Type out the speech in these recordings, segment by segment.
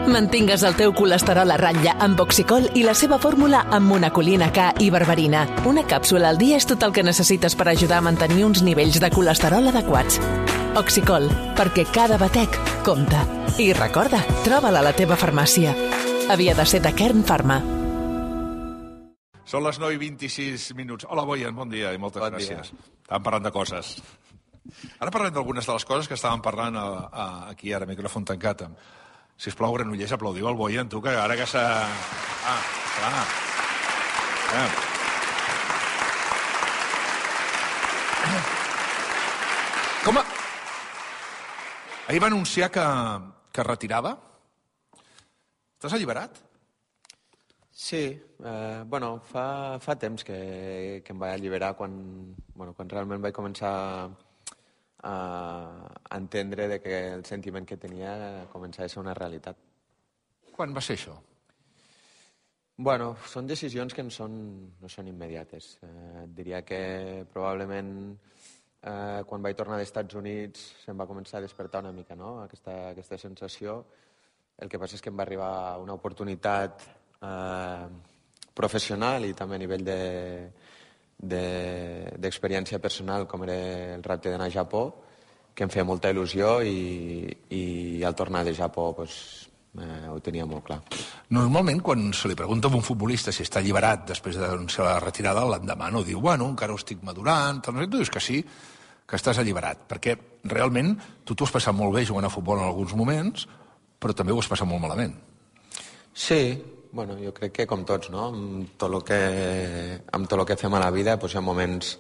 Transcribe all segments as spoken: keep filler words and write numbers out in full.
Mantingues el teu colesterol a ratlla amb Oxicol i la seva fórmula amb monacolina K i berberina. Una càpsula al dia és tot el que necessites per ajudar a mantenir uns nivells de colesterol adequats. Oxicol, perquè cada batec compta. I recorda, troba'l a la teva farmàcia. Havia de ser de Kern Pharma. Són les nou i vint-i-sis minuts. Hola, Boyan, bon dia i moltes bon gràcies. Estàvem parlant de coses. Ara parlem d'algunes de les coses que estàvem parlant a, a, aquí ara, micròfon tancat. Sisplau, Granollers, aplaudiu el Boyan, tu, que ara que s'ha... Ah, clar. Ah. Com a... Ahir va anunciar que, que retirava. T'has alliberat? Sí, eh, bueno, fa, fa temps que, que em vaig alliberar quan, bueno, quan realment vaig començar a, a entendre de que el sentiment que tenia començava a ser una realitat. Quan va ser això? Bueno, són decisions que no són, no són immediates. Eh, diria que probablement eh, quan vaig tornar dels Estats Units se'm va començar a despertar una mica, no?, aquesta, aquesta sensació. El que passa és que em va arribar una oportunitat eh, professional i també a nivell d'experiència de, de, personal, com era el repte d'anar a Japó, que em feia molta il·lusió i, i al tornar de Japó pues, eh, ho tenia molt clar. Normalment, quan se li pregunta a un futbolista si està alliberat després d'anunciar la retirada, l'endemà no diu, bueno, encara ho estic madurant, tal, no sé, tu dius que sí, que estàs alliberat, perquè realment tu t'ho has passat molt bé jugant a futbol en alguns moments, però també ho has passat molt malament. Sí, bueno, jo crec que com tots, no? Amb tot el que, amb tot el que fem a la vida doncs hi ha moments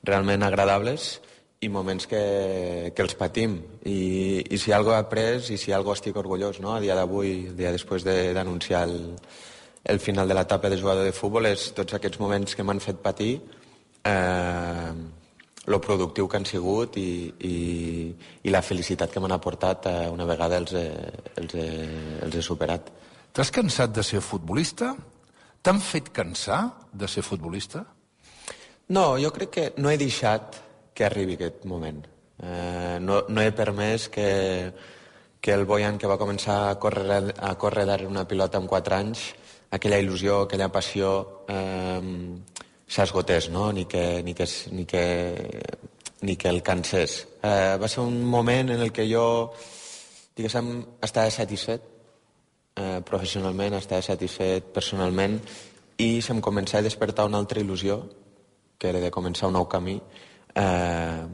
realment agradables i moments que, que els patim. I, i si alguna cosa he après i si alguna cosa estic orgullós, no? A dia d'avui, el dia després d'anunciar el, el final de l'etapa de jugador de futbol, és tots aquests moments que m'han fet patir, eh, lo productiu que han sigut i, i, i la felicitat que m'han aportat eh, una vegada els he, els he, els he superat. T'has cansat de ser futbolista? T'han fet cansar de ser futbolista? No, jo crec que no he deixat que arribi aquest moment. Eh, no, no he permès que, que el Boyan que va començar a córrer, a córrer darrere una pilota amb quatre anys, aquella il·lusió, aquella passió... Eh, s'esgotés, no? Ni que, ni que, ni que, ni que el cansés. Eh, va ser un moment en el que jo, diguéssim, estava satisfet eh, professionalment, estava satisfet personalment i se'm començava a despertar una altra il·lusió, que era de començar un nou camí, eh,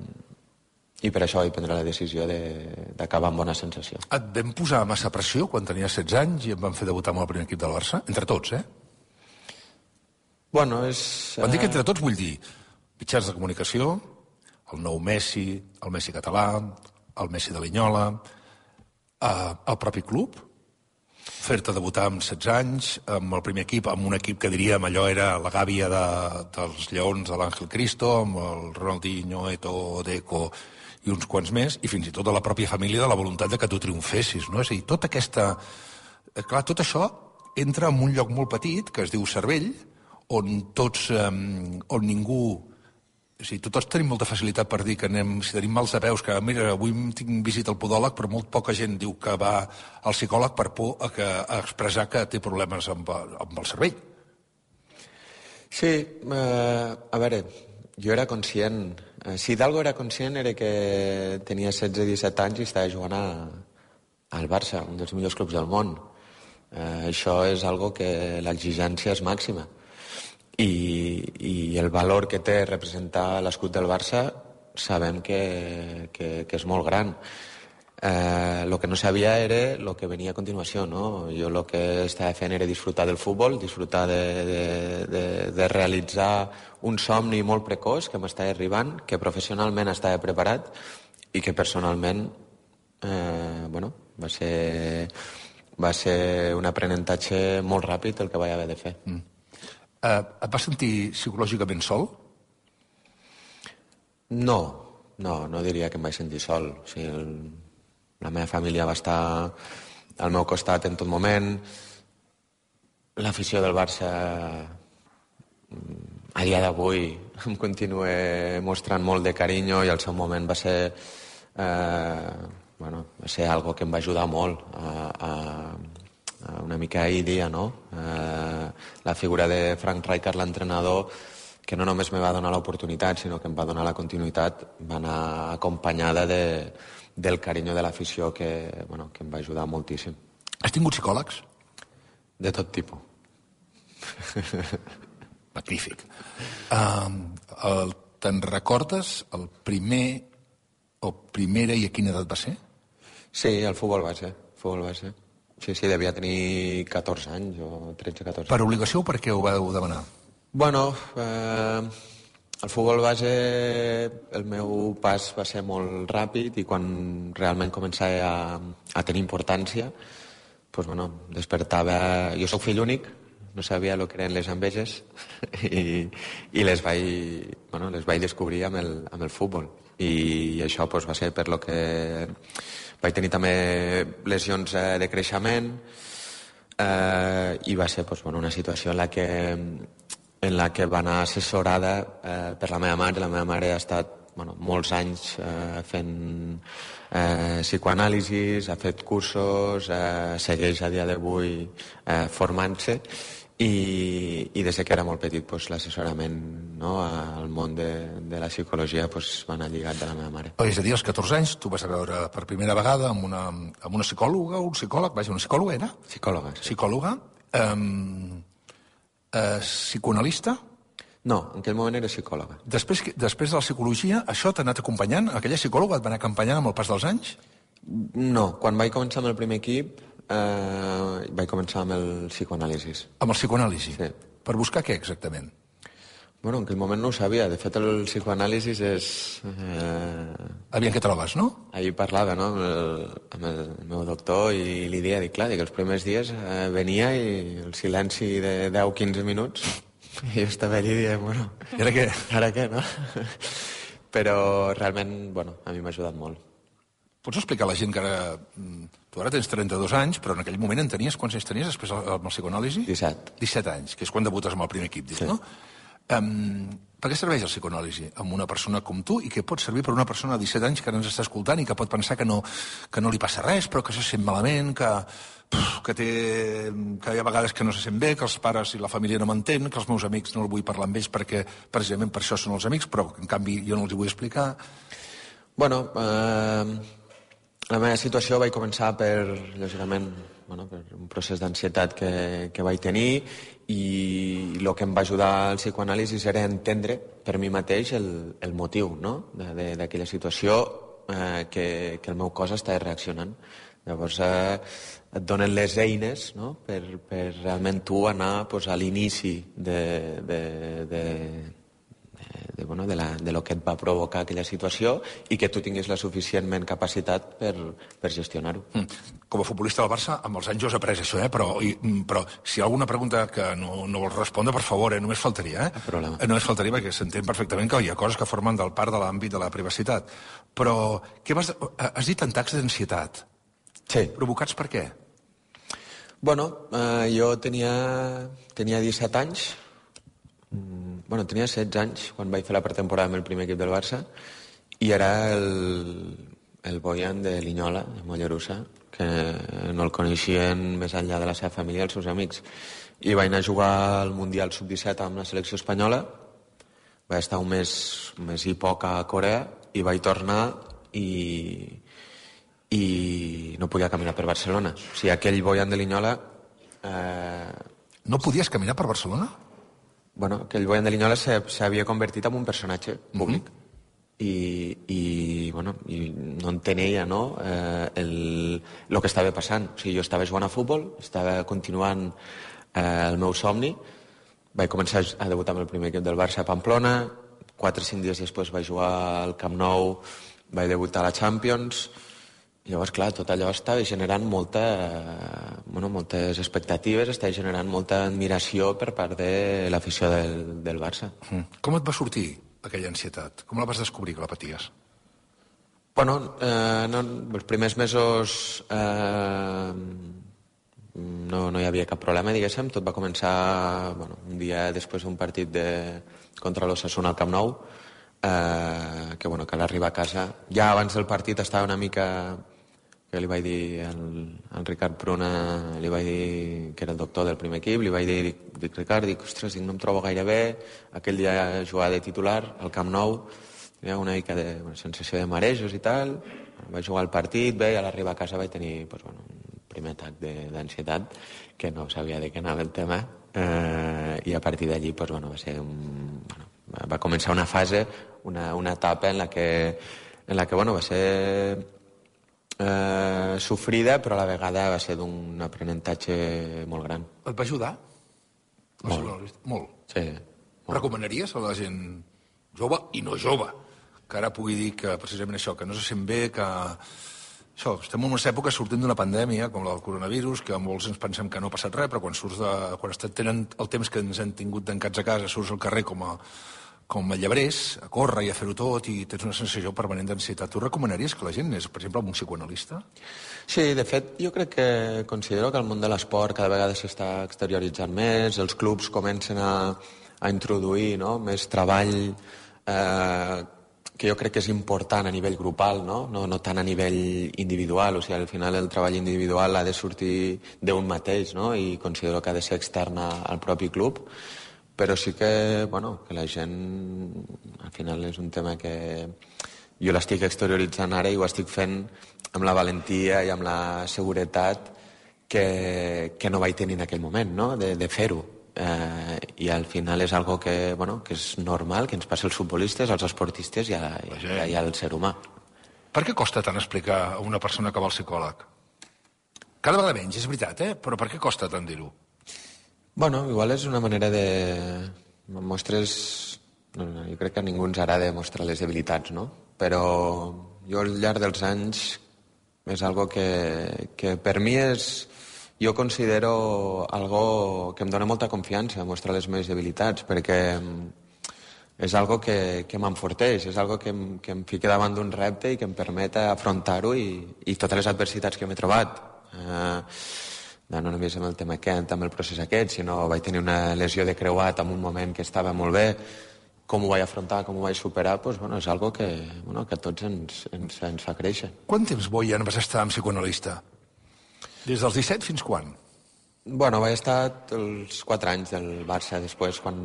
i per això vaig prendre la decisió d'acabar amb bona sensació. Et vam posar massa pressió quan tenies setze anys i em van fer debutar amb el primer equip del Barça? Entre tots, eh? Bueno, és... Quan dic entre tots vull dir mitjans de comunicació, el nou Messi, el Messi català, el Messi de Linyola, eh, el propi club, fer-te debutar amb setze anys, amb el primer equip, amb un equip que diríem allò era la gàbia de, dels lleons de l'Àngel Cristo, amb el Ronaldinho, Eto'o, Deco i uns quants més, i fins i tot de la pròpia família de la voluntat de que tu triomfessis, no? És a dir, tota aquesta... Clar, tot això entra en un lloc molt petit, que es diu cervell, on tots, um, on ningú... O sigui, tots tenim molta facilitat per dir que anem, si tenim mals de peus, que mira, avui tinc visita al podòleg, però molt poca gent diu que va al psicòleg per por a, que, a expressar que té problemes amb, amb el cervell. Sí, eh, a veure, jo era conscient... Eh, si d'algo era conscient era que tenia setze o disset anys i estava jugant a, al Barça, un dels millors clubs del món. Eh, això és algo que l'exigència és màxima. I, i el valor que té representar l'escut del Barça sabem que, que, que és molt gran. Eh, lo que no sabia era el que venia a continuació, no? Jo el que estava fent era disfrutar del futbol, disfrutar de, de, de, de realitzar un somni molt precoç que m'estava arribant, que professionalment estava preparat i que personalment eh, bueno, va ser, va ser un aprenentatge molt ràpid el que vaig haver de fer. Mm. Uh, et vas sentir psicològicament sol? No, no, no diria que em vaig sentir sol. O sigui, el, la meva família va estar al meu costat en tot moment. L'afició del Barça a dia d'avui em continua mostrant molt de carinyo i al seu moment va ser, eh, bueno, va ser algo que em va ajudar molt a, a, una mica ahir dia, no? Eh, la figura de Frank Rijkaard, l'entrenador, que no només me va donar l'oportunitat, sinó que em va donar la continuïtat, va anar acompanyada de, del carinyo de l'afició que, bueno, que em va ajudar moltíssim. Has tingut psicòlegs? De tot tipus. Magnífic. Um, el, te'n recordes el primer o primera i a quina edat va ser? Sí, el futbol base. Futbol base. Sí, sí, devia tenir catorze anys o tretze catorze. Per obligació o per què ho vau demanar? Bueno, eh, el futbol base, el meu pas va ser molt ràpid i quan realment començava a, a tenir importància, pues, bueno, despertava... Jo sóc fill únic, no sabia el que eren les enveges i, i les, vaig, bueno, les vaig descobrir amb el, amb el futbol. I això pues, va ser per lo que vaig tenir també lesions eh, de creixement eh, i va ser pues, bueno, una situació en la que, en la que va anar assessorada eh, per la meva mare. La meva mare ha estat bueno, molts anys eh, fent eh, psicoanàlisis, ha fet cursos, eh, segueix a dia d'avui eh, formant-se i, i des que era molt petit pues, l'assessorament no, al món de, de la psicologia pues, va anar lligat de la meva mare. És a dir, als catorze anys tu vas a veure per primera vegada amb una, amb una psicòloga o un psicòleg, vaja, una psicòloga era? Psicòloga, sí. Psicòloga. Um, uh, psicoanalista? No, en aquell moment era psicòloga. Després, després de la psicologia, això t'ha anat acompanyant? Aquella psicòloga et va anar acompanyant amb el pas dels anys? No, quan vaig començar amb el primer equip eh, vaig començar amb el psicoanàlisis. Amb el psicoanàlisi? Sí. Per buscar què exactament? Bueno, en aquell moment no ho sabia. De fet, el psicoanàlisis és... Eh... Aviam què trobes, no? Ahir parlava no, amb, el, amb el meu doctor i li deia, dic, clar, dic, els primers dies eh, venia i el silenci de deu a quinze minuts i jo estava allà i deia, bueno... I ara què? Ara què, no? Però realment, bueno, a mi m'ha ajudat molt. Pots explicar a la gent que ara... Tu ara tens trenta-dos anys, però en aquell moment en tenies... Quants anys tenies després amb el psicoanàlisi? disset. disset anys, que és quan debutes amb el primer equip, dius, sí. No? Um, per què serveix el psicoanàlisi amb una persona com tu i que pot servir per una persona de disset anys que ara ens està escoltant i que pot pensar que no, que no li passa res, però que se sent malament, que, que, té, que hi ha vegades que no se sent bé, que els pares i la família no m'entén, que els meus amics no el vull parlar amb ells perquè precisament per això són els amics, però en canvi jo no els hi vull explicar. Bueno, eh, la meva situació vaig començar per, lògicament, bueno, per un procés d'ansietat que, que vaig tenir i el que em va ajudar al psicoanàlisi era entendre per mi mateix el, el motiu no? d'aquella situació eh, que, que el meu cos estava reaccionant. Llavors eh, et donen les eines no? per, per realment tu anar pues, a l'inici de, de, de, de, bueno, de, la, de lo que et va provocar aquella situació i que tu tinguis la suficientment capacitat per, per gestionar-ho. Mm. Com a futbolista del Barça, amb els anys jo he après això, eh? però, i, però si hi ha alguna pregunta que no, no vols respondre, per favor, eh? només faltaria. Eh? Problema. Només faltaria perquè s'entén perfectament que hi ha coses que formen del part de l'àmbit de la privacitat. Però què vas, has dit atacs d'ansietat? Sí. Provocats per què? Bueno, eh, jo tenia, tenia disset anys, mm, bueno, tenia setze anys quan vaig fer la pretemporada amb el primer equip del Barça i era el, el Bojan de Linyola, de Mollerussa, que no el coneixien més enllà de la seva família i els seus amics. I vaig anar a jugar al Mundial sub disset amb la selecció espanyola, vaig estar un mes, un mes i poc a Corea i vaig tornar i... i no podia caminar per Barcelona. O sigui, aquell Bojan de Linyola... Eh... No podies caminar per Barcelona? Bueno, aquell Bojan de Linyola s'havia convertit en un personatge públic. Mm-hmm. I, i, bueno, i no entenia no, eh, el, el que estava passant. O sigui, jo estava jugant a futbol, estava continuant eh, el meu somni, vaig començar a debutar amb el primer equip del Barça a Pamplona, quatre o cinc dies després vaig jugar al Camp Nou, vaig debutar a la Champions. Llavors, clar, tot allò estava generant molta, eh, bueno, moltes expectatives, estava generant molta admiració per part de l'afició del, del Barça. Mm. Com et va sortir aquella ansietat? Com la vas descobrir, que la paties? Bueno, eh, no, els primers mesos eh, no, no hi havia cap problema, diguéssim. Tot va començar bueno, un dia després d'un partit de, contra l'Osasuna al Camp Nou, eh, que, bueno, que a l'arribar a casa, ja abans del partit estava una mica que li vaig dir al, al Ricard Pruna, li vaig dir que era el doctor del primer equip, li vaig dir, dic, dic Ricard, dic, ostres, dic, no em trobo gaire bé, aquell dia jugava de titular al Camp Nou, hi ha una mica de una sensació de marejos i tal, vaig jugar el partit, bé, i a l'arribar a casa vaig tenir pues, bueno, un primer atac d'ansietat, que no sabia de què anava el tema, eh, i a partir d'allí pues, bueno, va ser un... Bueno, va començar una fase, una, una etapa en la que, en la que bueno, va ser eh, sofrida, però a la vegada va ser d'un aprenentatge molt gran. Et va ajudar? Molt. Molt. Sí. Molt. Recomanaries a la gent jove i no jove que ara pugui dir que precisament això, que no se sent bé, que... Això, estem en unes èpoques sortint d'una pandèmia, com la del coronavirus, que molts ens pensem que no ha passat res, però quan surts de... quan tenen el temps que ens han tingut tancats a casa, surts al carrer com a, com a llebrers, a córrer i a fer-ho tot, i tens una sensació permanent d'ansietat. Tu recomanaries que la gent anés, per exemple, amb un psicoanalista? Sí, de fet, jo crec que considero que el món de l'esport cada vegada s'està exterioritzant més, els clubs comencen a, a introduir no? més treball eh, que jo crec que és important a nivell grupal, no? No, no tant a nivell individual, o sigui, al final el treball individual ha de sortir d'un mateix, no? I considero que ha de ser externa al propi club, però sí que, bueno, que la gent, al final és un tema que jo l'estic exterioritzant ara i ho estic fent amb la valentia i amb la seguretat que, que no vaig tenir en aquell moment, no? De, de fer-ho. Eh, i al final és algo que, bueno, que és normal, que ens passa als futbolistes, als esportistes i, a, i, i al ser humà. Per què costa tant explicar a una persona que va al psicòleg? Cada vegada menys, és veritat, eh? Però per què costa tant dir-ho? Bueno, igual és una manera de... Mostres... No, no, jo crec que a ningú ens agrada mostrar les debilitats, no? Però jo al llarg dels anys és algo que, que per mi és... Jo considero algo que em dona molta confiança mostrar les meves debilitats, perquè és algo que, que m'enforteix, és algo que em, que em fica davant d'un repte i que em permet afrontar-ho i, i totes les adversitats que m'he trobat. Eh, no només amb el tema aquest, amb el procés aquest, sinó vaig tenir una lesió de creuat en un moment que estava molt bé, com ho vaig afrontar, com ho vaig superar, doncs, bueno, és algo que, bueno, que a tots ens, ens, ens fa créixer. Quant temps, Bojan, vas estar amb psicoanalista? Des dels disset fins quan? Bueno, vaig estar els quatre anys del Barça, després quan,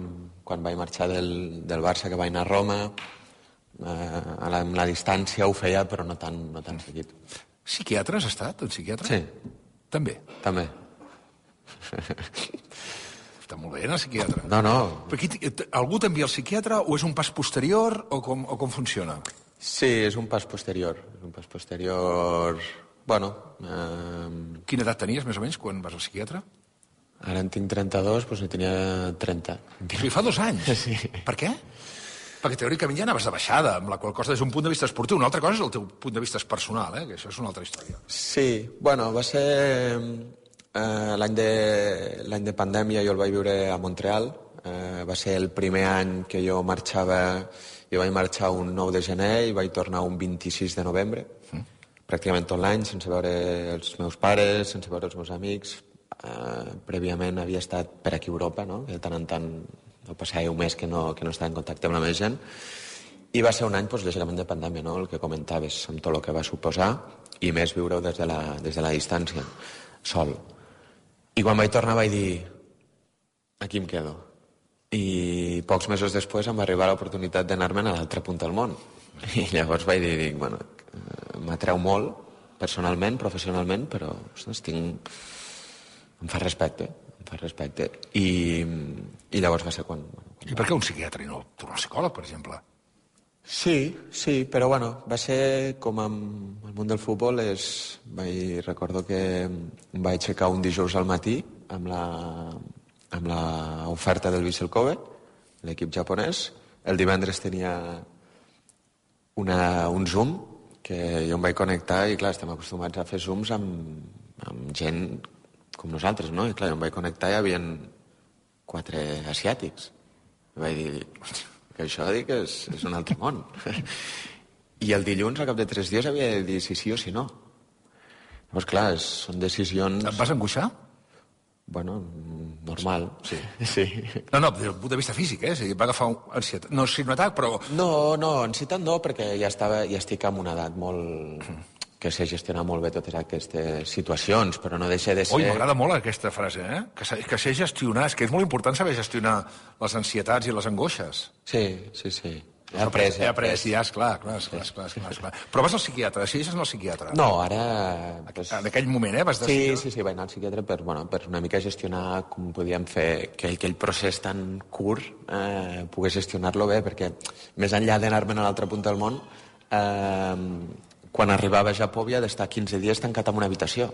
quan vaig marxar del, del Barça, que vaig anar a Roma, eh, a la, amb la distància ho feia, però no tan, no tan seguit. Psiquiatre has estat, un psiquiatre? Sí. També? També. Està molt bé anar al psiquiatre. No, no. Però aquí, algú t'envia al psiquiatre o és un pas posterior o com, o com funciona? Sí, és un pas posterior. És un pas posterior... Bueno... Eh... Quina edat tenies, més o menys, quan vas al psiquiatre? Ara en tinc trenta-dos, doncs ne tenia trenta. O sigui, fa dos anys? Sí. Per què? Perquè teòricament ja anaves de baixada, amb la qual cosa des d'un punt de vista esportiu. Una altra cosa és el teu punt de vista personal, eh? Que això és una altra història. Sí, bueno, va ser... Eh, l'any de, l'any de pandèmia jo el vaig viure a Montreal. Eh, va ser el primer any que jo marxava... Jo vaig marxar un nou de gener i vaig tornar un vint-i-sis de novembre. Mm. Pràcticament tot l'any, sense veure els meus pares, sense veure els meus amics. Eh, prèviament havia estat per aquí a Europa, no? De tant en tant no passava un mes que no, que no estava en contacte amb la meva gent. I va ser un any, doncs, lògicament, de pandèmia, no? El que comentaves, amb tot el que va suposar, i més viure-ho des, de la, des de la distància, sol. I quan vaig tornar vaig dir, aquí em quedo. I pocs mesos després em va arribar l'oportunitat d'anar-me'n a l'altre punt del món. I llavors vaig dir, dic, bueno, m'atreu molt, personalment, professionalment, però, ostres, tinc... em fa respecte, em fa respecte. I, i llavors va ser quan... Bueno, quan I per què un psiquiatre i no tornar al psicòleg, per exemple? Sí, sí, però bueno, va ser com amb el món del futbol, és... vaig, recordo que em vaig aixecar un dijous al matí amb la, amb la oferta del Vissel Kobe, l'equip japonès. El divendres tenia una, un Zoom que jo em vaig connectar i, clar, estem acostumats a fer Zooms amb, amb gent com nosaltres, no? I, clar, jo em vaig connectar i hi havia quatre asiàtics. I vaig dir, que això dic que és, és un altre món. I el dilluns, al cap de tres dies, havia de dir si sí o si no. Llavors, clar, són decisions... Et vas angoixar? Bueno, normal. Sí. Sí. No, no, des del punt de vista físic, eh? O sigui, va agafar un ansietat. No, sí, un atac, però... No, no, ansietat no, perquè ja, estava, ja estic en una edat molt... que sé gestionar molt bé totes aquestes situacions, però no deixa de ser... Ui, m'agrada molt aquesta frase, eh? Que, sé, que sé gestionar, és que és molt important saber gestionar les ansietats i les angoixes. Sí, sí, sí. He après, he après, ja, esclar, clar, esclar, esclar, esclar, esclar. Però vas al psiquiatre, decideixes anar al psiquiatre? No, ara... Pues... En aquell moment, eh, vas decidir... Sí, sí, sí, vaig anar al psiquiatre per, bueno, per una mica gestionar com podíem fer que aquell procés tan curt eh, pogués gestionar-lo bé, perquè més enllà d'anar-me'n a l'altra punta del món, eh, quan arribava a Japó havia d'estar quinze dies tancat en una habitació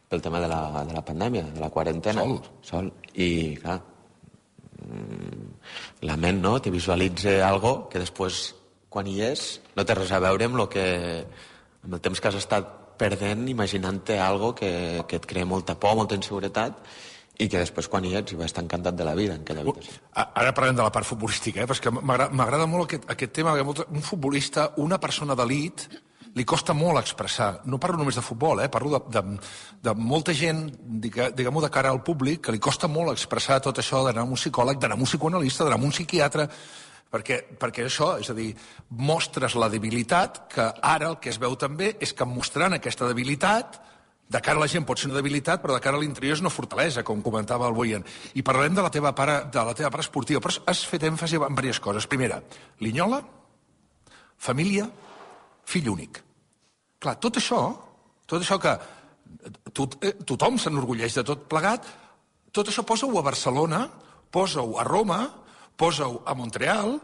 pel tema de la, de la pandèmia, de la quarantena. Sol? Sol. I, clar, la ment, no?, te visualitza algo que després, quan hi és, no té res a veure amb, lo que, amb el temps que has estat perdent imaginant-te algo que, que et crea molta por, molta inseguretat, i que després, quan hi ets, hi vas estar encantat de la vida en aquella habitació. Ara parlem de la part futbolística, eh? Però és que m'agrada molt aquest, aquest tema, que un futbolista, una persona d'elit, li costa molt expressar. No parlo només de futbol, eh? Parlo de, de, de molta gent, diguem-ho de cara al públic, que li costa molt expressar tot això d'anar a un psicòleg, d'anar a un psicoanalista, d'anar a un psiquiatre, perquè, perquè això, és a dir, mostres la debilitat, que ara el que es veu també és que mostrant aquesta debilitat, de cara a la gent pot ser una debilitat, però de cara a l'interior és una fortalesa, com comentava el Boyan. I parlarem de la teva part, de la teva part esportiva, però has fet èmfasi en diverses coses. Primera, Linyola, família, fill únic. Clar, tot això, tot això que tot, eh, tothom s'enorgulleix de tot plegat, tot això posa-ho a Barcelona, posa-ho a Roma, posa-ho a Montreal,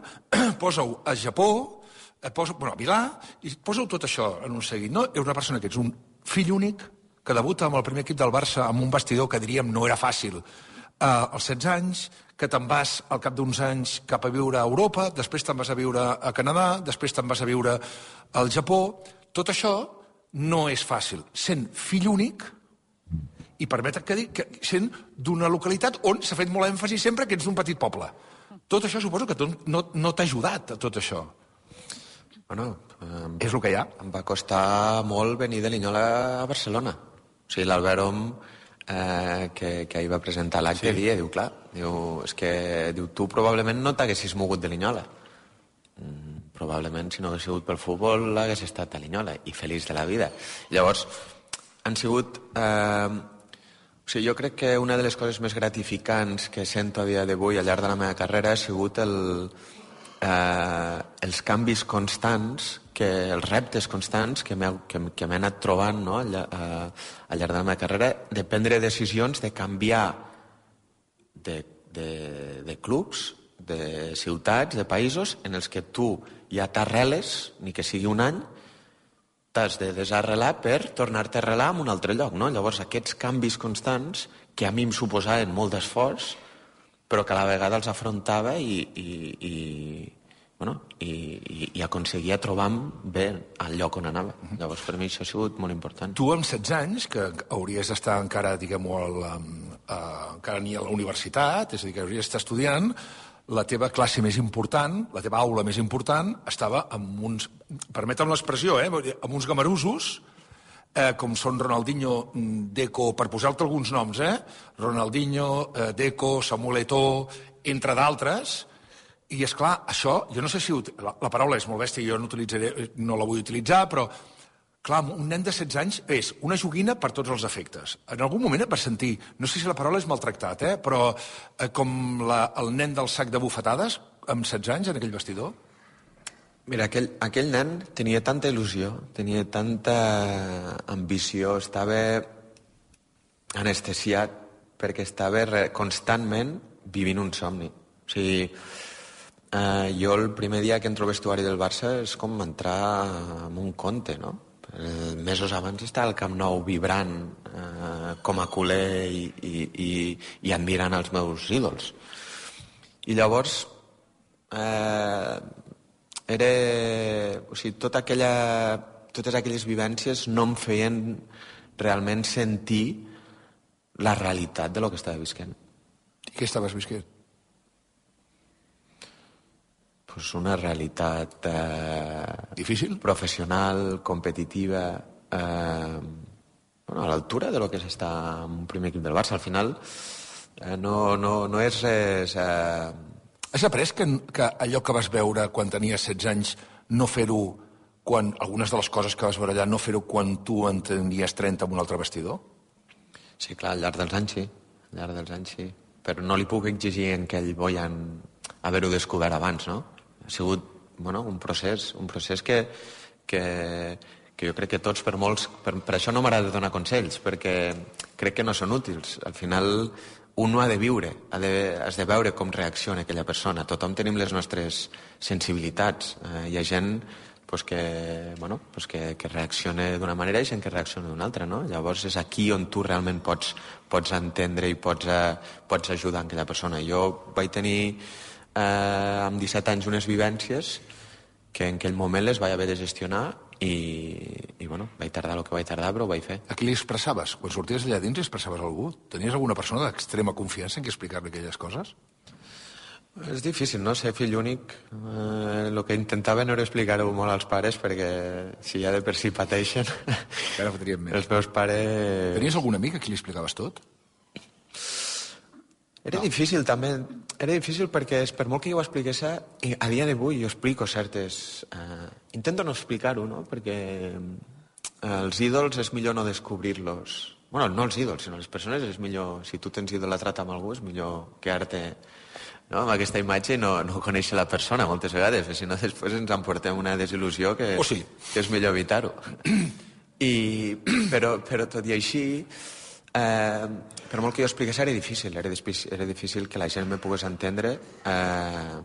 posa-ho a Japó, eh, posa, bueno, a Milà, i posa-ho tot això en un seguit. No? És una persona que ets un fill únic, que debuta amb el primer equip del Barça amb un vestidor que diríem no era fàcil. Eh, als setze anys, que te'n vas al cap d'uns anys cap a viure a Europa, després te'n vas a viure a Canadà, després te'n vas a viure al Japó. Tot això no és fàcil. Sent fill únic, i permetre que dic que sent d'una localitat on s'ha fet molt èmfasi sempre que ets d'un petit poble. Tot això suposo que no, no t'ha ajudat, a tot això. Bueno, em, és el que hi ha. Em va costar molt venir de Linyola a Barcelona. O sigui, l'Albert Om, eh, que, que ahir va presentar l'acte, sí. dia, diu, clar, diu, és que diu, tu probablement no t'haguessis mogut de Linyola. Mm, probablement, si no hagués sigut pel futbol, hagués estat a Linyola i feliç de la vida. Llavors, han sigut... Eh, o sigui, jo crec que una de les coses més gratificants que sento a dia d'avui al llarg de la meva carrera ha sigut el, eh, els canvis constants, que, els reptes constants que m'he que, que m'he anat trobant, no?, al, eh, al llarg de la meva carrera, de prendre decisions, de canviar de, de, de clubs, de ciutats, de països en els que tu ja t'arreles, ni que sigui un any, t'has de desarrelar per tornar-te a arrelar en un altre lloc, no? Llavors, aquests canvis constants, que a mi em suposaven molt d'esforç, però que a la vegada els afrontava i, i, i, bueno, i, i, i aconseguia trobar-me bé al lloc on anava. Llavors, per mi això ha sigut molt important. Tu, amb setze anys, que hauries d'estar encara, diguem-ho, encara ni a la universitat, és a dir, que hauries d'estar estudiant, la teva classe més important, la teva aula més important, estava amb uns, permetem l'expressió, eh, amb uns gamarusos, eh, com són Ronaldinho, Deco, per posar-te alguns noms, eh? Ronaldinho, eh, Deco, Samuel Eto'o, entre d'altres, i és clar, això, jo no sé si... La, la paraula és molt bèstia, jo no, utilitzaré, no la vull utilitzar, però clar, un nen de setze anys és una joguina per tots els efectes. En algun moment et vas sentir, no sé si la paraula és maltractat, eh, però eh, com la, el nen del sac de bufetades, amb setze anys, en aquell vestidor? Mira, aquell, aquell nen tenia tanta il·lusió, tenia tanta ambició, estava anestesiat perquè estava re, constantment vivint un somni. O sigui, eh, jo el primer dia que entro al vestuari del Barça és com entrar en un conte, no? Eh, mesos abans estava al Camp Nou vibrant eh, com a culer i, i, i, i admirant els meus ídols. I llavors eh, era, o sigui, tota aquella, totes aquelles vivències no em feien realment sentir la realitat de lo que estava visquent. I què estaves visquent? Pues una realitat eh, difícil, professional, competitiva, eh, bueno, a l'altura de lo que és estar en un primer equip del Barça. Al final eh, no, no, no és res... Eh... Has après que, que allò que vas veure quan tenies setze anys no fer-ho quan algunes de les coses que vas veure allà no fer-ho quan tu en tenies trenta en un altre vestidor? Sí, clar, al llarg dels anys sí, al llarg dels anys sí. Però no li puc exigir en que ell volen haver-ho descobert abans, no? Ha sigut, bueno, un procés, un procés que, que, que jo crec que tots, per molts... Per, per això no m'agrada donar consells, perquè crec que no són útils. Al final, un ha de viure, ha de, has de veure com reacciona aquella persona. Tothom tenim les nostres sensibilitats. Eh, hi ha gent pues que, bueno, pues que, que reacciona d'una manera i gent que reacciona d'una altra, no? Llavors és aquí on tu realment pots, pots entendre i pots, eh, pots ajudar aquella persona. Jo vaig tenir eh, amb disset anys unes vivències que en aquell moment les vaig haver de gestionar i, i bueno, vaig tardar el que vaig tardar, però ho vaig fer. A qui li expressaves? Quan sorties allà dins li expressaves a algú? Tenies alguna persona d'extrema confiança en què explicar-li aquelles coses? És difícil, no? Ser fill únic. Eh, el que intentava no era explicar-ho molt als pares, perquè si ja de per si pateixen... Encara fotríem més. Els meus pares... Tenies algun amic a qui li explicaves tot? Era no. difícil, també. Era difícil perquè, per molt que jo ho expliqués, a dia d'avui jo explico certes... Eh, intento no explicar-ho, no? Perquè els ídols és millor no descobrir-los. Bueno, no els ídols, sinó les persones és millor... Si tu tens idolatrat amb algú, és millor quedar-te... No, amb aquesta imatge no, no conèixer la persona moltes vegades, si no després ens emportem una desil·lusió que, oh, sí. que és millor evitar-ho. I, però, però tot i així, eh, per molt que jo expliqués, era difícil, era, era difícil que la gent me pogués entendre, eh,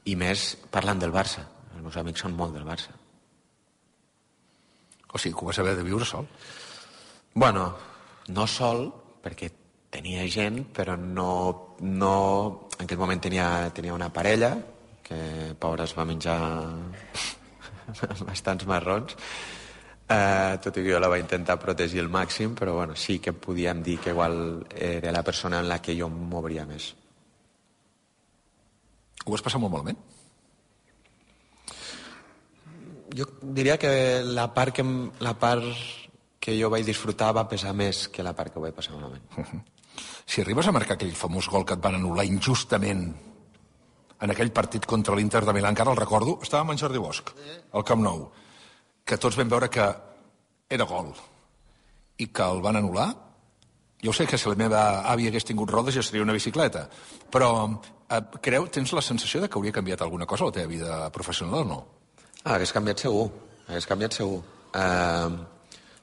i més parlant del Barça. Els meus amics són molt del Barça. O sigui, que ho vas haver de viure sol? Bueno, no sol, perquè tenia gent, però no, no... En aquell moment tenia, tenia una parella, que pobra es va menjar bastants marrons, eh, tot i que jo la vaig intentar protegir al màxim, però bueno, sí que podíem dir que igual era la persona en la que jo m'obria més. Ho vas passar molt malament? Jo diria que la part que, la part que jo vaig disfrutar va pesar més que la part que ho vaig passar malament. Uh-huh. Si arribes a marcar aquell famós gol que et van anul·lar injustament en aquell partit contra l'Inter de Milà, encara el recordo, estàvem en Jordi Bosch, al Camp Nou, que tots vam veure que era gol i que el van anul·lar. Jo sé que si la meva àvia hagués tingut rodes ja seria una bicicleta, però eh, creu, tens la sensació de que hauria canviat alguna cosa a la teva vida professional o no? Ah, hagués canviat segur, hagués canviat segur. Eh,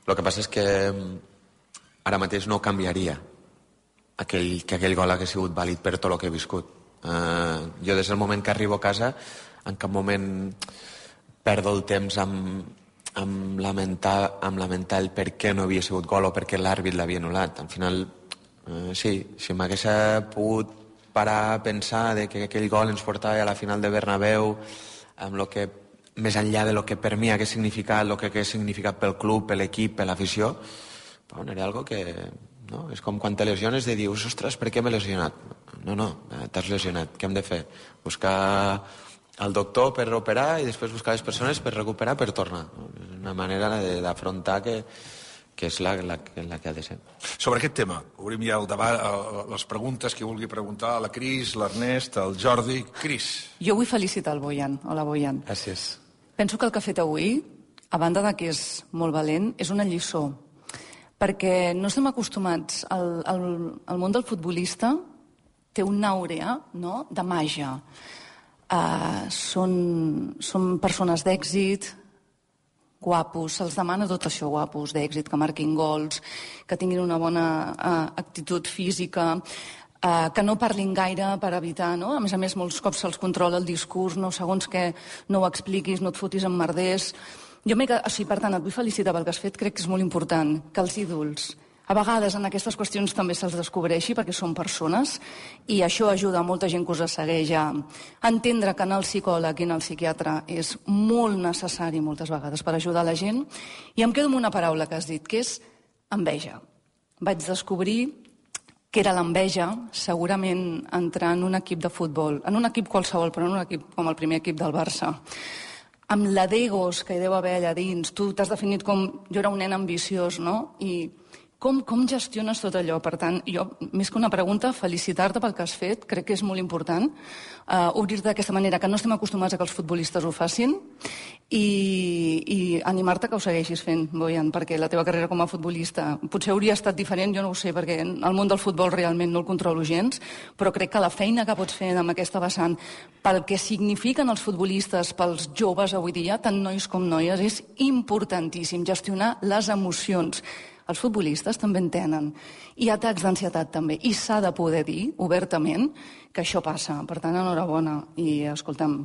el que passa és que ara mateix no canviaria aquell, que aquell gol hagués sigut vàlid per tot el que he viscut. Uh, jo des del moment que arribo a casa en cap moment perdo el temps amb, amb, lamentar, amb lamentar el per què no havia sigut gol o per què l'àrbit l'havia anul·lat. Al final, uh, sí, si m'hagués pogut parar a pensar de que aquell gol ens portava a la final de Bernabéu amb lo que, més enllà de lo que per mi hagués significat, el que hagués significat pel club, per l'equip, per l'afició, bueno, era algo que... No? És com quan te lesiones de dius, ostres, per què m'he lesionat? No, no, t'has lesionat, què hem de fer? Buscar el doctor per operar i després buscar les persones per recuperar, per tornar. És una manera d'afrontar que, que és la, la, la que ha de ser. Sobre aquest tema, obrim ja el debat, les preguntes que vulgui preguntar a la Cris, l'Ernest, el Jordi. Cris. Jo vull felicitar el Bojan. Hola, Bojan. Gràcies. Penso que el que ha fet avui, a banda de que és molt valent, és una lliçó. Perquè no estem acostumats, el, el, el món del futbolista té una àurea, no?, de màgia. Uh, són, són persones d'èxit, guapos, se'ls demana tot això, guapos, d'èxit, que marquin gols, que tinguin una bona uh, actitud física, uh, que no parlin gaire per evitar, no? A més a més, molts cops se'ls controla el discurs, no? Segons que no ho expliquis, no et fotis en merders. Jo m'he... O sigui, per tant, et vull felicitar pel que has fet, crec que és molt important que els ídols, a vegades en aquestes qüestions també se'ls descobreixi perquè són persones i això ajuda a molta gent que us segueix a entendre que anar al psicòleg i anar al psiquiatre és molt necessari moltes vegades per ajudar la gent. I em quedo amb una paraula que has dit, que és enveja. Vaig descobrir que era l'enveja, segurament entrar en un equip de futbol, en un equip qualsevol, però en un equip com el primer equip del Barça, amb la d'egos que hi deu haver allà dins. Tu t'has definit com... Jo era un nen ambiciós, no? I Com, com gestiones tot allò? Per tant, jo, més que una pregunta, felicitar-te pel que has fet, crec que és molt important uh, obrir-te d'aquesta manera, que no estem acostumats a que els futbolistes ho facin, i, i animar-te que ho segueixis fent, Bojan, perquè la teva carrera com a futbolista potser hauria estat diferent, jo no ho sé, perquè el món del futbol realment no el controlo gens, però crec que la feina que pots fer amb aquesta vessant, pel que signifiquen els futbolistes, pels joves avui dia, tant nois com noies, és importantíssim gestionar les emocions. Els futbolistes també en tenen, i atacs d'ansietat també, i s'ha de poder dir obertament que això passa. Per tant, enhorabona, i escolta'm,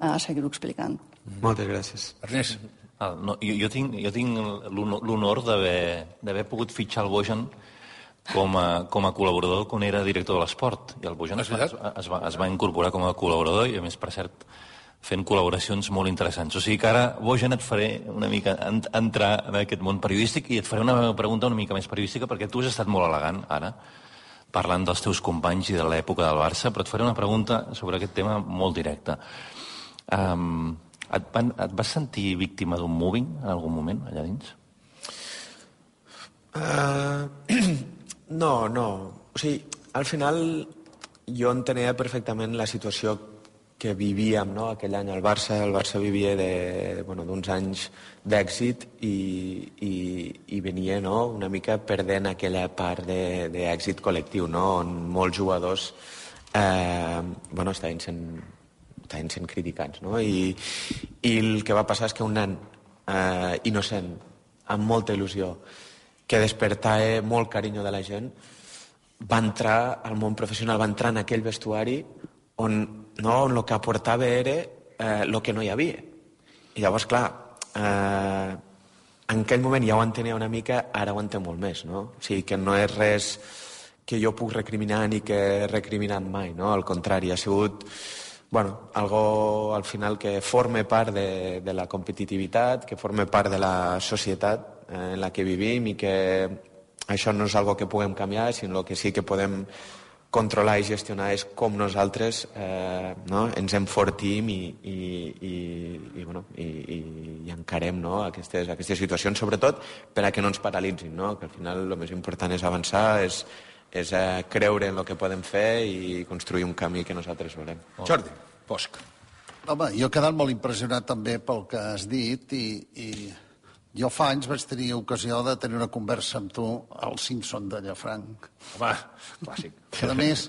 a seguir-ho explicant. Moltes gràcies. Ernest. Ah, no, jo, jo tinc, jo tinc l'honor d'haver pogut fitxar el Bojan com a, com a col·laborador quan era director de l'esport, i el Bojan es va, es, va, es va incorporar com a col·laborador, i a més, per cert, fent col·laboracions molt interessants. O sigui que ara, Bojan, et faré una mica entrar en aquest món periodístic i et faré una pregunta una mica més periodística, perquè tu has estat molt elegant, ara, parlant dels teus companys i de l'època del Barça, però et faré una pregunta sobre aquest tema molt directa. Um, et, van, et vas sentir víctima d'un moving en algun moment, allà dins? Uh, no, no. O sigui, al final jo entenia perfectament la situació que vivíem, no?, aquell any al Barça. El Barça vivia de, bueno, d'uns anys d'èxit i, i, i venia, no?, una mica perdent aquella part d'èxit col·lectiu, no?, on molts jugadors eh, bueno, estaven sent, estaven sent criticats, no?, I, i el que va passar és que un nen eh, innocent, amb molta il·lusió, que despertava molt carinyo de la gent, va entrar al món professional, va entrar en aquell vestuari on, no, on el que aportava era eh, el que no hi havia. I llavors, clar, eh, en aquell moment ja ho entenia una mica, ara ho entenc molt més, no? O sigui, que no és res que jo puc recriminar ni que he recriminat mai, no? Al contrari, ha sigut, bueno, algo al final que forma part de, de la competitivitat, que forma part de la societat eh, en la que vivim, i que això no és algo que puguem canviar, sinó que sí que podem controlar i gestionar és com nosaltres eh, no? ens enfortim i, i, i, i, bueno, i, i, i encarem, no?, aquestes, aquestes situacions, sobretot per a que no ens paralitzin, no? Que al final el més important és avançar, és, és eh, creure en el que podem fer i construir un camí que nosaltres volem. Oh. Jordi Bosch. Home, jo he quedat molt impressionat també pel que has dit, i, i jo fa anys vaig tenir ocasió de tenir una conversa amb tu al Simpson de Llafranc. Home, clàssic. Que, a més,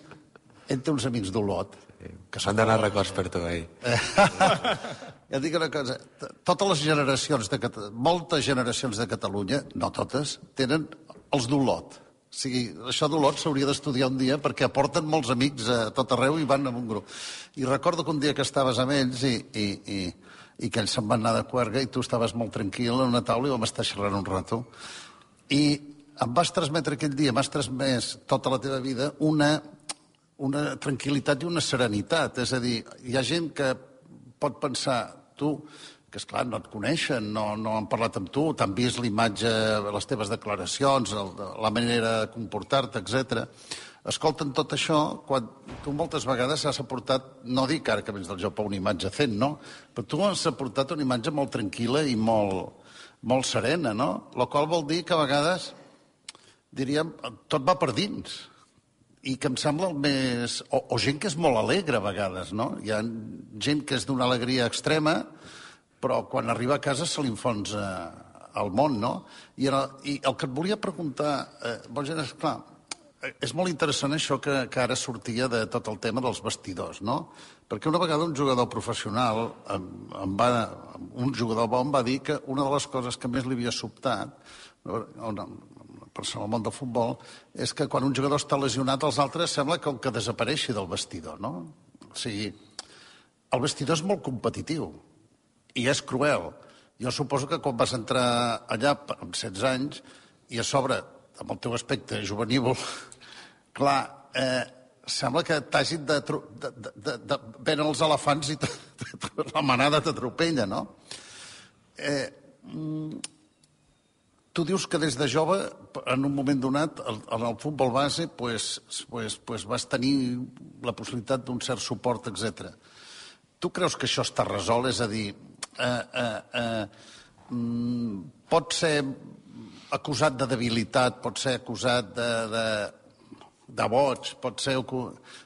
entre uns amics d'Olot. Que s'han d'anar records per tu, eh? Ja et dic una cosa, totes les generacions, de Cata... moltes generacions de Catalunya, no totes, tenen els d'Olot. O sigui, això d'Olot s'hauria d'estudiar un dia perquè aporten molts amics a tot arreu i van amb un grup. I recordo que un dia que estaves amb ells i... i, i i que ells se'n van anar de Cuerga i tu estaves molt tranquil en una taula i vam estar xerrant un rato. I em vas transmetre aquell dia, m'has transmès tota la teva vida una, una tranquil·litat i una serenitat. És a dir, hi ha gent que pot pensar, tu, que esclar, no et coneixen, no, no han parlat amb tu, t'han vist l'imatge, les teves declaracions, el, la manera de comportar-te, etcètera. Escolten tot això quan tu moltes vegades has aportat, no dic ara que vens del Japó, una imatge zen, no? Però tu has aportat una imatge molt tranquil·la i molt, molt serena, no? La qual vol dir que a vegades, diríem, tot va per dins. I que em sembla el més... O, o gent que és molt alegre a vegades, no? Hi ha gent que és d'una alegria extrema, però quan arriba a casa se li enfonsa el món, no? I, el, i el que et volia preguntar, eh, Bojan, és clar, és molt interessant això que, que ara sortia de tot el tema dels vestidors, no? Perquè una vegada un jugador professional, em, em va, un jugador bo em va dir que una de les coses que més li havia sobtat, una persona al món del futbol, és que quan un jugador està lesionat, els altres sembla com que desapareixi del vestidor, no? O sigui, el vestidor és molt competitiu i és cruel. Jo suposo que quan vas entrar allà amb setze anys i a sobre amb el teu aspecte juvenívol, clar, eh, sembla que t'hagin de, de, de, de, de venen els elefants i t, t, t, la manada t'atropella, no? Eh, tu dius que des de jove, en un moment donat, en el futbol base, pues, pues, pues vas tenir la possibilitat d'un cert suport, etcètera. Tu creus que això està resolt? És a dir, eh, eh, eh, pot ser acusat de debilitat, pot ser acusat de, de, de boig, pot ser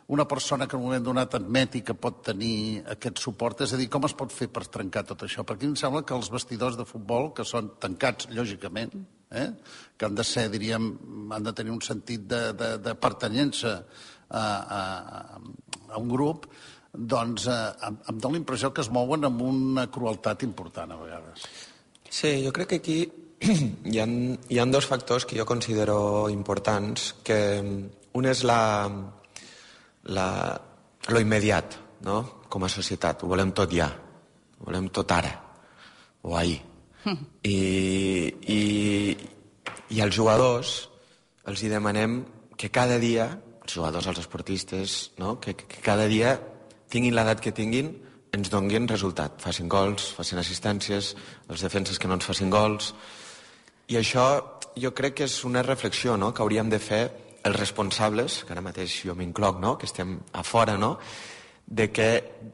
una persona que en un moment donat admeti que pot tenir aquest suport. És a dir, com es pot fer per trencar tot això? Perquè em sembla que els vestidors de futbol, que són tancats, lògicament, eh? que han de ser, diríem, han de tenir un sentit de, de, de pertanyença a, a, a un grup, doncs eh, em, em dóna la impressió que es mouen amb una crueltat important a vegades. Sí, jo crec que aquí hi ha, hi ha dos factors que jo considero importants, que un és la, la, lo immediat, no? Com a societat. Ho volem tot ja, ho volem tot ara, o ahir. I, i, i als jugadors els hi demanem que cada dia, els jugadors, els esportistes, no? que, que cada dia tinguin l'edat que tinguin, ens donguin resultat. Facin gols, facin assistències, els defenses que no ens facin gols. I això jo crec que és una reflexió, no?, que hauríem de fer els responsables, que ara mateix jo m'incloc, no?, que estem a fora, no?, de, que,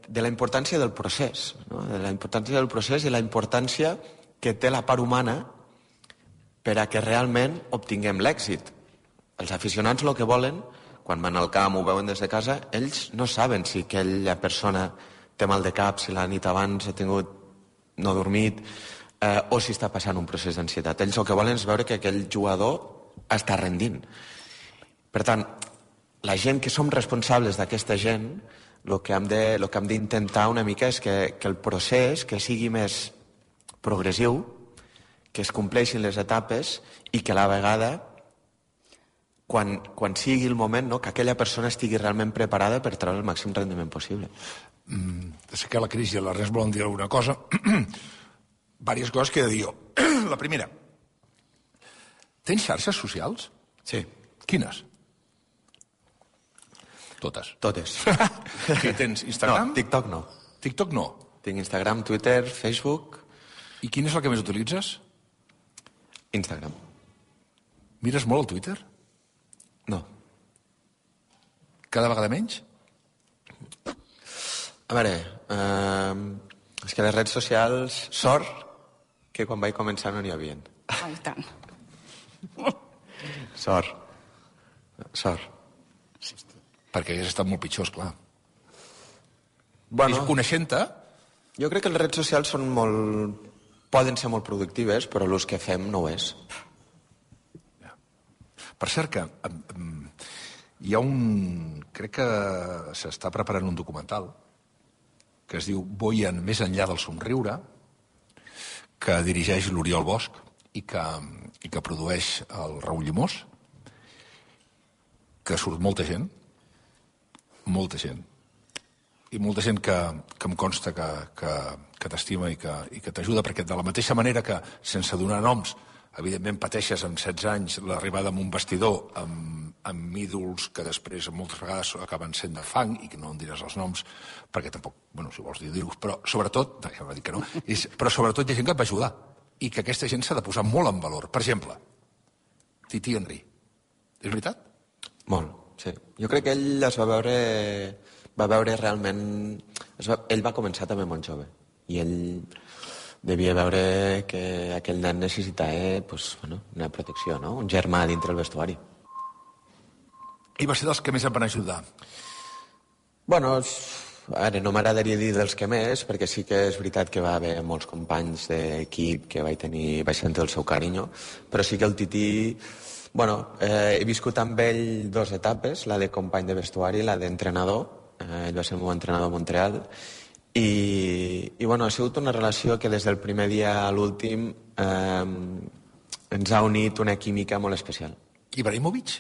de la importància del procés, no?, de la importància del procés i la importància que té la part humana per a que realment obtinguem l'èxit. Els aficionats el que volen, quan van al camp o ho veuen des de casa, ells no saben si aquella persona té mal de cap, si la nit abans ha tingut no dormit, eh, o si està passant un procés d'ansietat. Ells el que volen és veure que aquell jugador està rendint. Per tant, la gent que som responsables d'aquesta gent, el que hem de, el que hem d'intentar una mica és que, que el procés que sigui més progressiu, que es compleixin les etapes i que a la vegada Quan, quan sigui el moment, no?, que aquella persona estigui realment preparada per treure el màxim rendiment possible. Mm, sé que la crisi i l'Ernest volen dir alguna cosa. Vàries coses que he de dir jo. La primera, tens xarxes socials? Sí. Quines? Totes. Totes. Què tens? Instagram? No, TikTok no. TikTok no. Tinc Instagram, Twitter, Facebook... I quin és el que més utilitzes? Instagram. Mires molt el Twitter? No. Cada vegada menys? A veure, eh, és que les redes socials, sort que quan vaig començar no n'hi havia. Ai, tant. Sort. Sort. Perquè hagués estat molt pitjor, esclar. Bueno, coneixent-te... Jo crec que les redes socials són molt... poden ser molt productives, però l'ús que fem no ho és. Per cert que um, hi ha un... Crec que s'està preparant un documental que es diu Boien més enllà del somriure, que dirigeix l'Oriol Bosch i que, i que produeix el Raül Llimós, que surt molta gent, molta gent, i molta gent que, que em consta que, que, que t'estima i que, i que t'ajuda, perquè de la mateixa manera que, sense donar noms, evidentment pateixes amb setze anys l'arribada amb un vestidor amb, amb ídols que després moltes vegades acaben sent de fang i que no en diràs els noms perquè tampoc, bueno, si vols dir-los, però sobretot, no, ja m'ha dit que no, és, però sobretot hi ha gent que et va ajudar i que aquesta gent s'ha de posar molt en valor. Per exemple, Titi Henry. És veritat? Molt, sí. Jo crec que ell es va veure, va veure realment... Es va, ell va començar també molt jove i ell... devia veure que aquell nen necessitava pues, bueno, una protecció, no? Un germà dintre el vestuari. I va ser dels que més em van ajudar? Bueno, ara no m'agradaria dir dels que més, perquè sí que és veritat que va haver molts companys d'equip que vaig tenir, vaig sentir el seu carinyo, però sí que el Tití... Bueno, eh, he viscut amb ell dues etapes, la de company de vestuari i la d'entrenador. Eh, ell va ser el meu entrenador a Montreal. I, i bueno, ha sigut una relació que des del primer dia a l'últim eh, ens ha unit una química molt especial. Ibrahimovic?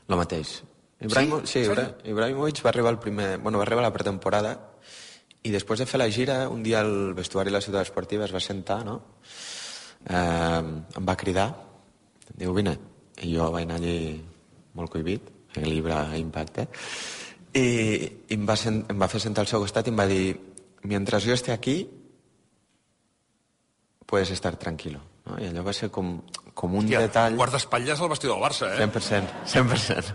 Lo mateix. Ibrahimo, sí? Sí, Ibra, Ibrahimovic va arribar, el primer, bueno, va arribar a la pretemporada i després de fer la gira, un dia al vestuari de la ciutat esportiva es va sentar, no? Eh, em va cridar, diu, vine. I jo vaig anar allí molt cohibit, el llibre Impacte, i, i em, va sen, em va fer sentar al seu costat i em va dir, mientras yo esté aquí, puedes estar tranquilo. No? I allò va ser com, com un Hòstia, detall... guardaespatlles al vestidor del Barça, eh? cent per cent, cent per cent.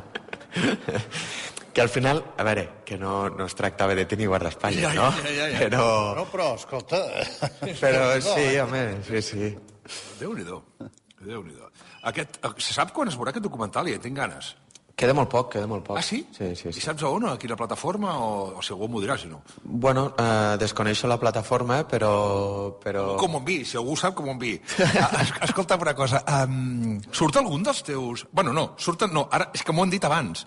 Que al final, a veure, que no, no es tractava de tenir guardaespatlles, ja, no? Ja, ja, ja. Però... No, però, escolta... Però sí, home, sí, sí. Déu-n'hi-do. Déu-n'hi-do. Aquest, se sap quan es veurà aquest documental? Ja tinc ganes. Queda molt poc, queda molt poc. Ah, sí? Sí, sí, sí. I saps a on, a quina plataforma? O, o si algú m'ho dirà, si no. Bueno, eh, desconeixo la plataforma, però... però... Com ho enviï, si algú sap com ho enviï. Escolta'm una cosa, um, surt algun dels teus... Bueno, no, surten... No, ara, és que m'ho han dit abans,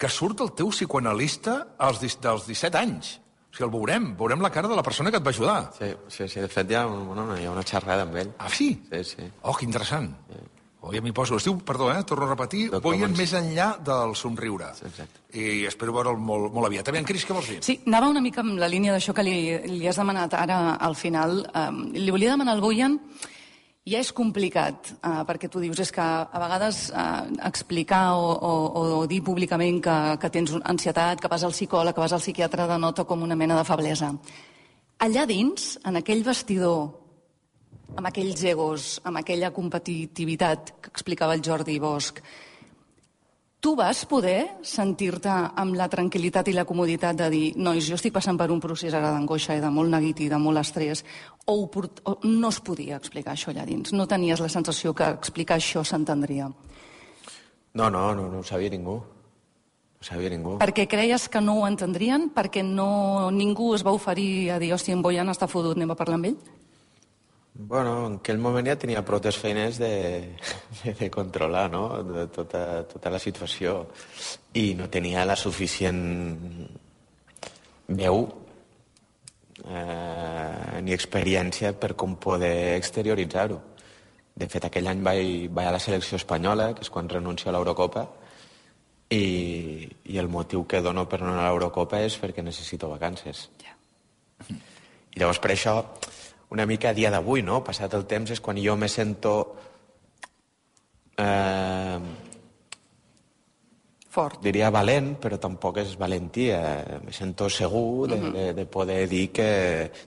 que surt el teu psicoanalista als, dels disset anys. O sigui, el veurem, veurem la cara de la persona que et va ajudar. Sí, sí, sí. De fet, hi ha, bueno, hi ha una xerrada amb ell. Ah, sí? Sí, sí. Oh, que interessant. Sí. Oh, ja m'hi poso. Es diu, perdó, eh, torno a repetir, Boien més enllà del somriure. Sí, exacte. I espero veure'l molt, molt aviat. També, en Cris, què vols dir? Sí, anava una mica amb la línia d'això que li, li has demanat ara al final. Um, li volia demanar al Boien, ja és complicat, uh, perquè tu dius, és que a vegades uh, explicar o, o, o dir públicament que, que tens ansietat, que vas al psicòleg, que vas al psiquiatre, denota com una mena de feblesa. Allà dins, en aquell vestidor, amb aquells egos, amb aquella competitivitat que explicava el Jordi Bosch, tu vas poder sentir-te amb la tranquil·litat i la comoditat de dir nois, jo estic passant per un procés ara d'angoixa i de molt neguit i de molt estrès, o, ho, o no es podia explicar això allà dins? No tenies la sensació que explicar això s'entendria? No, no, no, no ho sabia ningú. No ho sabia ningú. Perquè creies que no ho entendrien? Perquè no, ningú es va oferir a dir hòstia, en Boian està fotut, anem a parlar amb ell? Bueno, en aquell moment ja tenia prou feines de, de, de controlar, no?, de tota, tota la situació. I no tenia la suficient veu eh, ni experiència per com poder exterioritzar-ho. De fet, aquell any vaig, vaig a la selecció espanyola, que és quan renuncio a l'Eurocopa, i, i el motiu que dono per no anar a l'Eurocopa és perquè necessito vacances. Ja. I llavors, per això, una mica a dia d'avui, no?, passat el temps, és quan jo me sento eh, fort. Diria valent, però tampoc és valentia. Me sento segur de, de, de poder dir que...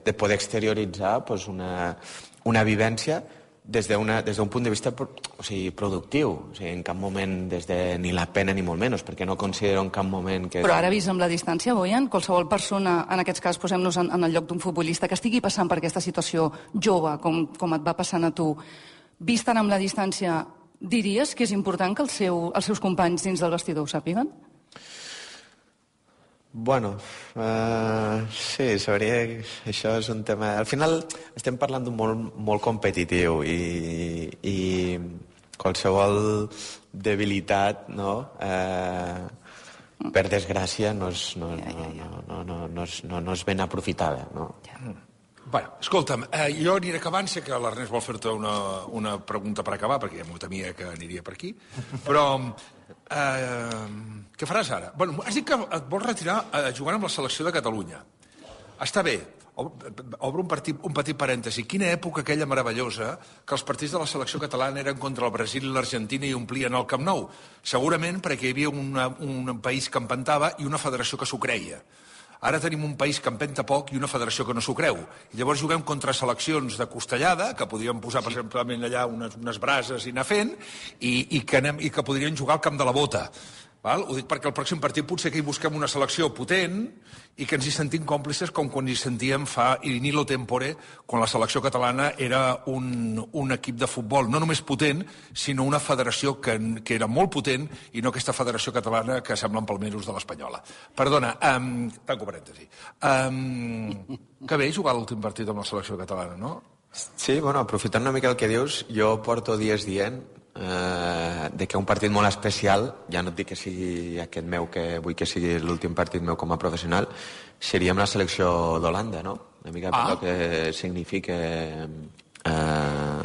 de poder exterioritzar pues, una, una vivència des d'un punt de vista o sigui, productiu. O sigui, en cap moment des de ni la pena ni molt menys, perquè no considero en cap moment que... Però ara, vist amb la distància, Boian, qualsevol persona, en aquests cas, posem-nos en, en el lloc d'un futbolista que estigui passant per aquesta situació jove, com, com et va passant a tu, vist ara amb la distància, diries que és important que el seu, els seus companys dins del vestidor ho sàpiguen? Bueno, uh, sí, sabria que això és un tema... Al final estem parlant d'un món molt competitiu i, i qualsevol debilitat, no?, uh, per desgràcia, no és, no, no, no, no, no, no, és, no, no és ben aprofitada, no? Bueno, escolta'm, eh, jo aniré acabant, sé que l'Ernest vol fer-te una, una pregunta per acabar, perquè ja m'ho temia que aniria per aquí, però eh, què faràs ara? Bueno, has dit que et vols retirar eh, jugant amb la selecció de Catalunya. Està bé, obro un, partit, un petit parèntesi. Quina època aquella meravellosa que els partits de la selecció catalana eren contra el Brasil i l'Argentina i omplien el Camp Nou. Segurament perquè hi havia una, un país que empentava i una federació que s'ho creia. Ara tenim un país que empenta poc i una federació que no s'ho creu. I llavors juguem contra seleccions de costellada, que podríem posar, per exemple, allà unes, unes brases i anar fent, i, i, que anem, i que podrien jugar al camp de la bota. Val? Ho dic perquè el pròxim partit potser que hi busquem una selecció potent i que ens hi sentim còmplices com quan hi sentíem fa in illo tempore, quan la selecció catalana era un, un equip de futbol no només potent, sinó una federació que, que era molt potent i no aquesta federació catalana que semblen palmeros de l'espanyola. Perdona, um, tanco parèntesi. Um, que bé jugar l'últim partit amb la selecció catalana, no? Sí, bueno, aprofitant una mica el que dius, jo porto dies dient eh, de que un partit molt especial, ja no et dic que sigui aquest meu, que vull que sigui l'últim partit meu com a professional, seria amb la selecció d'Holanda, no? Una mica per ah. el que significa eh,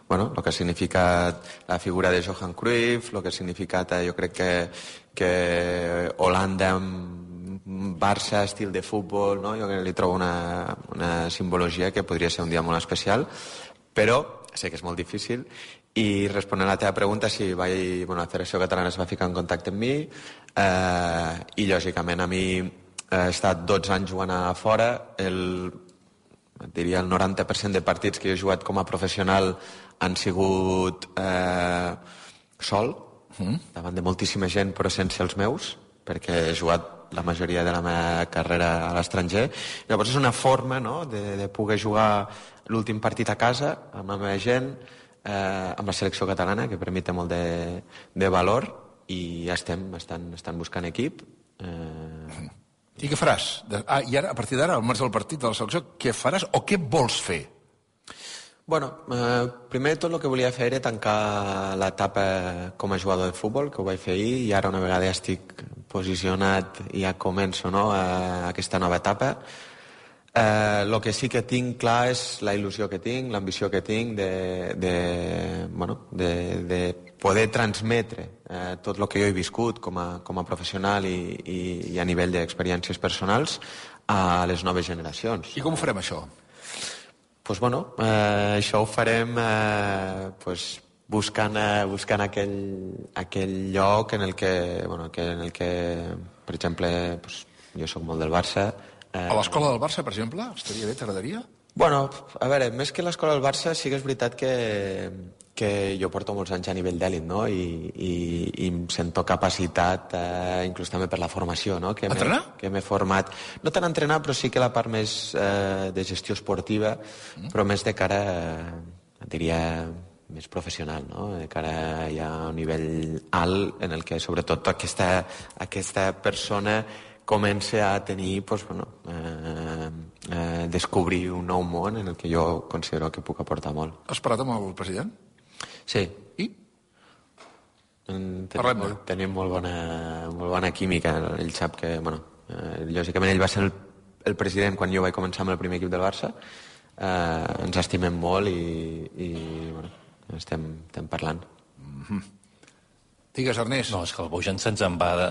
bueno, el que ha significat la figura de Johan Cruyff, el que ha significat, jo crec que, que Holanda amb Barça, estil de futbol, no? Jo li trobo una, una simbologia que podria ser un dia molt especial, però sé que és molt difícil. I responent a la teva pregunta, si vaig, bueno, la Federació Catalana es va ficar en contacte amb mi eh, i, lògicament, a mi he estat dotze anys jugant a fora, el, diria el noranta per cent de partits que he jugat com a professional han sigut eh, sol, mm. davant de moltíssima gent, però sense els meus, perquè he jugat la majoria de la meva carrera a l'estranger. Llavors és una forma, no?, de, de poder jugar l'últim partit a casa amb la meva gent, eh, amb la selecció catalana, que per mi té molt de, de valor, i ja estem, estan, estan buscant equip. Eh... I què faràs? Ah, i ara, a partir d'ara, al març del partit de la selecció, què faràs o què vols fer? Bueno, eh, primer de tot el que volia fer era tancar l'etapa com a jugador de futbol, que ho vaig fer ahir, i ara una vegada ja estic posicionat i ja començo, no, a aquesta nova etapa. El eh, que sí que tinc clar és la il·lusió que tinc, l'ambició que tinc de, de, bueno, de, de poder transmetre eh, tot el que jo he viscut com a, com a professional i, i, i a nivell d'experiències personals a les noves generacions. I com ho farem, això? Pues bueno, eh, això ho farem eh, pues buscant, eh, buscant aquell, aquell lloc en el que, bueno, que, en el que per exemple, pues, jo sóc molt del Barça. Eh, a l'escola del Barça, per exemple? Estaria bé, t'agradaria? Bueno, a veure, més que l'escola del Barça, sí que és veritat que, que jo porto molts anys a nivell d'èlit, no? I, i, i em sento capacitat, eh, inclús també per la formació, no? Que entrenar? Que m'he format. No tant entrenar, però sí que la part més eh, de gestió esportiva, mm. però més de cara, eh, diria, més professional, no? De cara ja a un nivell alt en el que, sobretot, aquesta, aquesta persona comença a tenir, pues, bueno, eh, eh, descobrir un nou món en el que jo considero que puc aportar molt. Has parlat amb el president? Sí. I? Tenim, molt, tenim molt, bona, molt bona química. Ell sap que, bueno, eh, lògicament ell va ser el, el president quan jo vaig començar amb el primer equip del Barça. Eh, ens estimem molt i, i bueno, estem, estem parlant. Mm-hmm. Digues, Ernest. No, és que el Bojan se'ns en va de...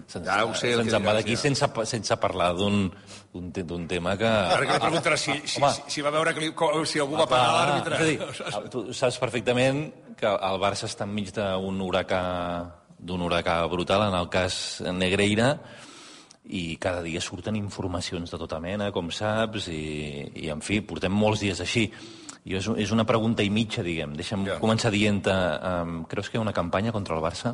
Se'ns ja, sé, se'ns en va d'aquí sense, sense parlar d'un tema que... Ara que li preguntarà si, si, si, si va veure que li, si algú va pagar l'àrbitre. És a dir, tu saps perfectament que el Barça està enmig d'un huracà, d'un huracà brutal, en el cas Negreira, i cada dia surten informacions de tota mena, com saps, i, i en fi, portem molts dies així. I és, és una pregunta i mitja, diguem. Deixa'm ja. començar dient-te, um, creus que hi ha una campanya contra el Barça?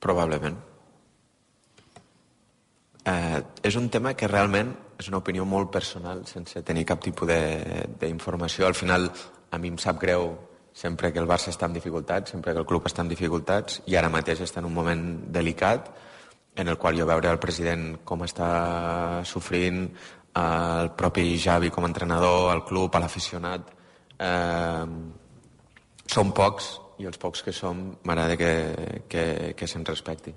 Probablement. Eh, és un tema que realment és una opinió molt personal, sense tenir cap tipus d'informació. Al final, a mi em sap greu sempre que el Barça està en dificultats, sempre que el club està en dificultats, i ara mateix està en un moment delicat, en el qual jo veure el president com està sofrint, el propi Xavi com a entrenador, el club, l'aficionat. Eh, són pocs, i els pocs que som m'agrada que, que, que se'n respecti.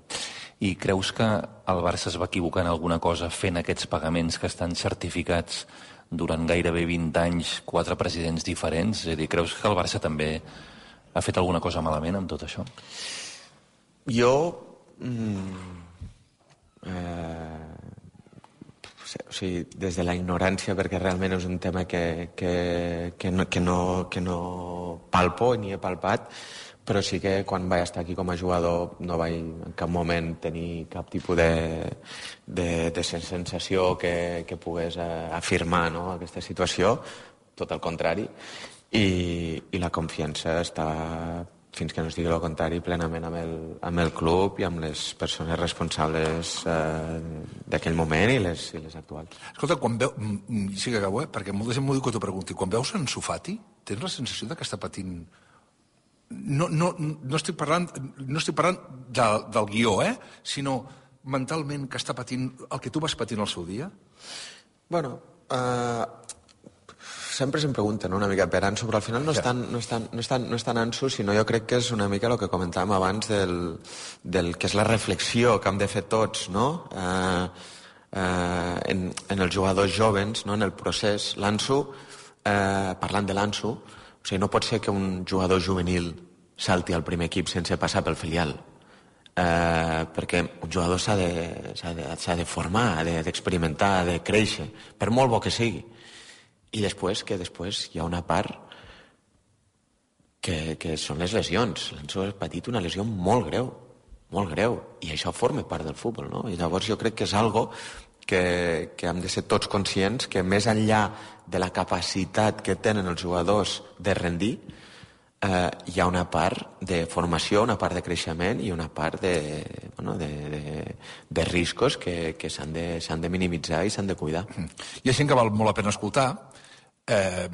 I creus que el Barça es va equivocar en alguna cosa fent aquests pagaments que estan certificats durant gairebé vint anys, quatre presidents diferents? És a dir, creus que el Barça també ha fet alguna cosa malament amb tot això? Jo... Mm, eh, o sigui, des de la ignorància, perquè realment és un tema que, que, que, no, que, no, que no palpo ni he palpat, però sí que quan vaig estar aquí com a jugador no vaig en cap moment tenir cap tipus de, de, de sensació que, que pogués afirmar, no, aquesta situació, tot el contrari, i, i la confiança està, fins que no es digui el contrari, plenament amb el, amb el club i amb les persones responsables eh, d'aquell moment i les, i les actuals. Escolta, quan veu... Sí que acabo, eh? Perquè molta gent m'ho diu que t'ho pregunti. Quan veus en Fati, tens la sensació de que està patint... No, no, no estic parlant, no estic parlant de, del guió, eh? Sinó mentalment que està patint el que tu vas patint el seu dia? Bueno, eh... sempre se'm pregunten una mica per Ansu, però al final no és tan, no és tan, no és tan, no és tan Ansu, sinó jo crec que és una mica el que comentàvem abans del, del que és la reflexió que hem de fer tots, no? Eh, eh, en, en els jugadors jovens, no? En el procés. L'Ansu, eh, parlant de l'Ansu, o sigui, no pot ser que un jugador juvenil salti al primer equip sense passar pel filial. Eh, perquè un jugador s'ha de, s'ha de, s'ha de formar, ha de, d'experimentar, ha de créixer, per molt bo que sigui. I després, que després hi ha una part que, que són les lesions. L'Ansu ha patit una lesió molt greu, molt greu, i això forma part del futbol, no? I llavors jo crec que és algo que, que hem de ser tots conscients que més enllà de la capacitat que tenen els jugadors de rendir, eh, hi ha una part de formació, una part de creixement i una part de, bueno, de, de, de riscos que, que s'han de, s'han de minimitzar i s'han de cuidar. Hi ha gent que val molt la pena escoltar. Eh,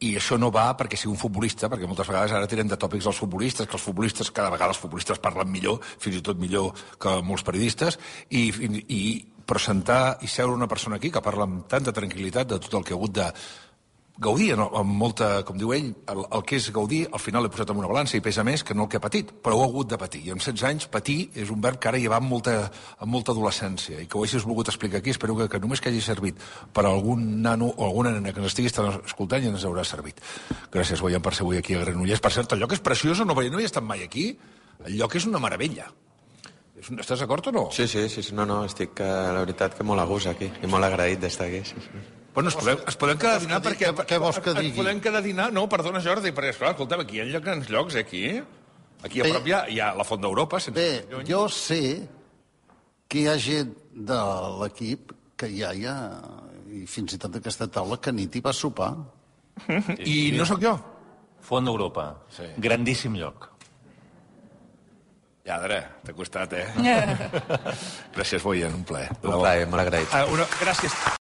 I això no va perquè sigui un futbolista, perquè moltes vegades ara tenen de tòpics els futbolistes, que els futbolistes, cada vegada els futbolistes parlen millor, fins i tot millor que molts periodistes, i, i però sentar i seure una persona aquí que parla amb tanta tranquil·litat de tot el que ha hagut de gaudir, no? Amb molta, com diu ell, el, el que és gaudir, al final l'he posat en una balança i pesa més que no el que ha patit, però ho ha hagut de patir. I amb setze anys, patir és un verb que ara hi va amb molta, amb molta adolescència, i que ho hagis volgut explicar aquí, espero que, que només que hagi servit per a algun nano o alguna nena que ens estigui escoltant i ens haurà servit. Gràcies, Boian, per ser avui aquí a Granollers. Per cert, el lloc és preciós, no, no hi he estat mai aquí. El lloc és una meravella. Estàs d'acord o no? Sí, sí, sí, no, no, estic, la veritat, que molt a gust aquí, i molt agraït d'estar aquí, sí, sí. Bueno, es podem, es podem quedar a dinar perquè... Què vols que digui? Es podem quedar a dinar? No, perdona, Jordi, perquè, esclar, escolta'm, aquí hi ha grans llocs, eh, aquí. Aquí a prop hi ha, hi ha la Font d'Europa. Bé, jo sé que hi ha gent de l'equip que ja hi ha, i fins i tot aquesta taula, que nit hi va sopar. I no sóc jo. Font d'Europa. Grandíssim lloc. Lladre, t'ha costat, eh? Gràcies, Boian, un plaer. Un plaer, molt agraït. Gràcies.